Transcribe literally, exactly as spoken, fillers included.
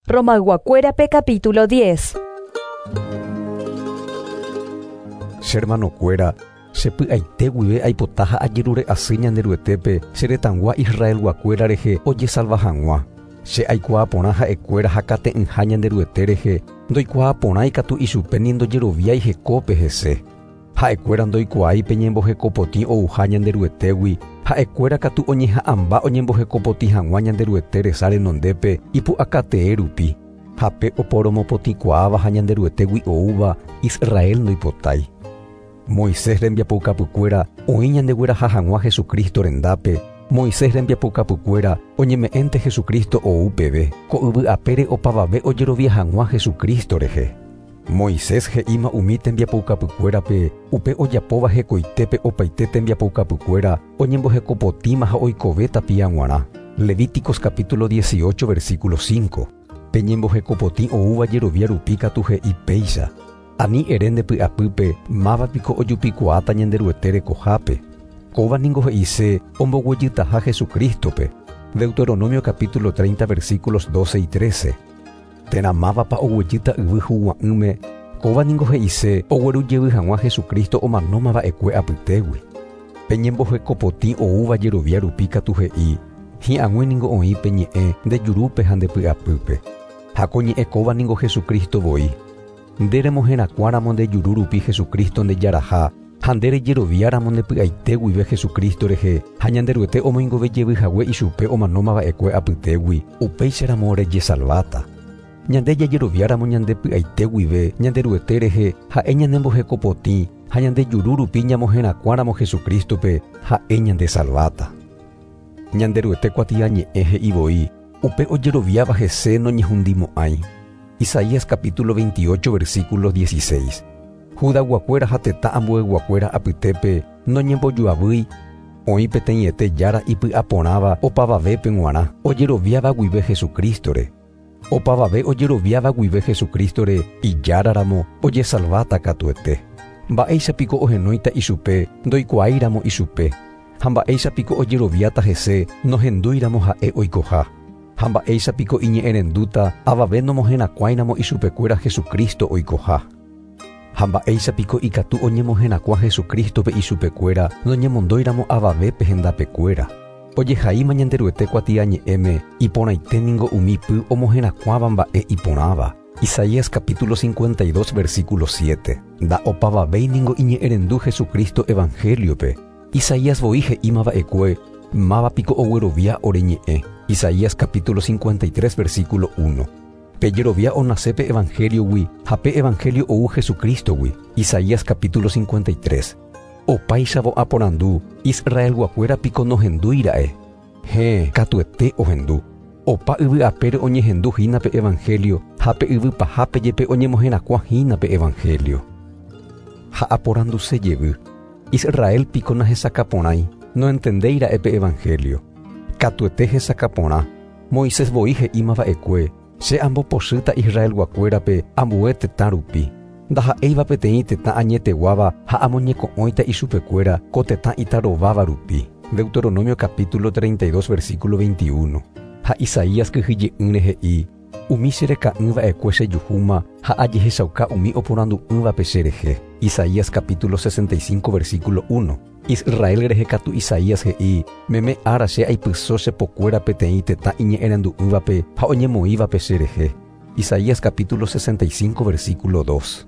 Romayguakuérape capítulo diez. Che hermanokuéra, che py'aite guive aipota ha ajerure asy Ñanderuetépe che retãgua Israelguakuéra rehe ojesalva hag̃ua. Che aikuaa porã ha'ekuéra hakate'ỹha Ñanderuete rehe, ndoikuaa porã ikatu ichupe ni ndojeroviái hekópe hese. Ha'ekuéra ndoikuaái pe ñembohekopotĩ ouha Ñanderuetégui, ha'ekuéra katu oñeha'ãmba oñembohekopotĩ hag̃ua Ñanderuete resa renondépe ipu'akatee rupi. Ha pe oporomopotĩkuaáva ha Ñanderuetégui oúva Israel ndoipotái. Moisés rembiapoukapykuéra oĩ ñandegueraha hag̃ua Jesucristo rendápe. Moisés rembiapoukapykuéra oñeme'ẽnte Jesucristo ou peve, ko yvy apére opavave ojerovia hag̃ua Jesucristo rehe. Moisés he'íma umi tembiapoukapykuérape upe ojapóva hekoitépe opaite tembiapoukapykuéra oñembohekopotĩma ha oikove tapia g̃uarã. Levíticos capítulo dieciocho versículo cinco. Pe ñembohekopotĩ oúva jerovia rupi katu he'i péicha. Ani ere nde py'apýpe máva piko ojupikuaáta Ñanderuete rekohápe. Kóva ningo he'ise omboguejytaha Jesucristope. Deuteronomio capítulo treinta versículos doce y trece. Térã mávapa oguejýta yvy hugua'ỹme, kóva ningo he'ise oguerujevy hag̃ua Jesucristo omanóma va'ekue apytégui. Pe ñembohekopotĩ oúva jerovia rupi katu he'i, hi'ag̃ui ningo oĩ pe ñe'ẽ nde jurúpe ha nde py'apýpe. Ha ko ñe'ẽ kóva ningo Jesucristo voi. Nde remoherakuãramo nde juru rupi Jesucristo nde jaraha, ha nde rejeroviáramo nde py'aite guive Jesucristo rehe, ha Ñanderuete omoingovejevy hague ichupe omanóma va'ekue apytégui, upéicharamo rejesalváta. Ñande jajeroviáramo ñande py'aite guive Ñanderuete rehe, ha'e ñanembohekopotĩ, ha ñande juru rupi ñamoherakuãramo Jesucristope, ha'e ñandesalváta. Ñanderuete kuatiañe'ẽ he'i voi, upe ojeroviáva hese noñehundimo'ãi. Isaías capítulo veintiocho versículo dieciséis. Judaguakuéra ha tetã ambueguakuéra apytépe noñembojoavýi, oĩ peteĩete jára ipy'aporãva opavavépe g̃uarã ojeroviáva guive Jesucristore. Opavave ojeroviáva guive Jesucristore ijáraramo ojesalváta katuete. Mba'éichapiko ohenóita ichupe ndoikuaáiramo ichupe, ha mba'éichapiko ojeroviáta hese nohendúiramo ha'e oikoha. Ha mba'éichapiko iñe'ẽrendúta avave nomoherakuãiramo ichupekuéra Jesucristo oikoha. Ha mba'éichapiko ikatu oñemoherakuã Jesucristope ichupekuéra noñemondóiramo avavépe hendapekuéra. Ojehaíma Ñanderuete kuatiañe'ẽme iporãite ningo umi py omoherakuãva mba'e iporãva. Isaías capítulo cincuenta y dos versículo siete. Nda'opavavéi ningo iñe'ẽrendu Jesucristo evangeliope. Isaías voi he'íma va'ekue máva piko oguerovia ore ñe'ẽ. Isaías capítulo cincuenta y tres versículo uno. Pe jerovia onasépe evangeliogui ha pe evangelio ou Jesucristogui. Isaías capítulo cincuenta y tres. Opáichavo aporandu, Israelguakuéra piko nohendúira'e. He, katuete ohendu. Opa yvy apére oñehendu hína pe evangelio, ha pe yvy pahápe jepe oñemoherakuã hína pe evangelio. Ha aporanduse jevy. Israel piko nahesakaporãi, noentendéira'e pe evangelio. Katuete hesakaporã. Moisés voi he'íma va'ekue, che ambopochýta Israelguakuérape ambue tetã rupi. Ndaha'éiva peteĩ tetã añeteguáva ha amoñeko'õita ichupekuéra ko tetã itarováva rupi. Deuteronomio capítulo treinta y dos versículo veintiuno. Ha Isaías kyhyje'ỹre he'i, umi chereka'ỹ va'ekue chejuhúma ha ajehechauka umi oporandu'ỹvape cherehe. Isaías capítulo sesenta y cinco versículo uno. Israel rehe katu Isaías he'i, meme ára che aipyso chepokuéra peteĩ tetã iñe'ẽrendu'ỹvape ha oñemoĩvape cherehe. Isaías capítulo sesenta y cinco versículo dos.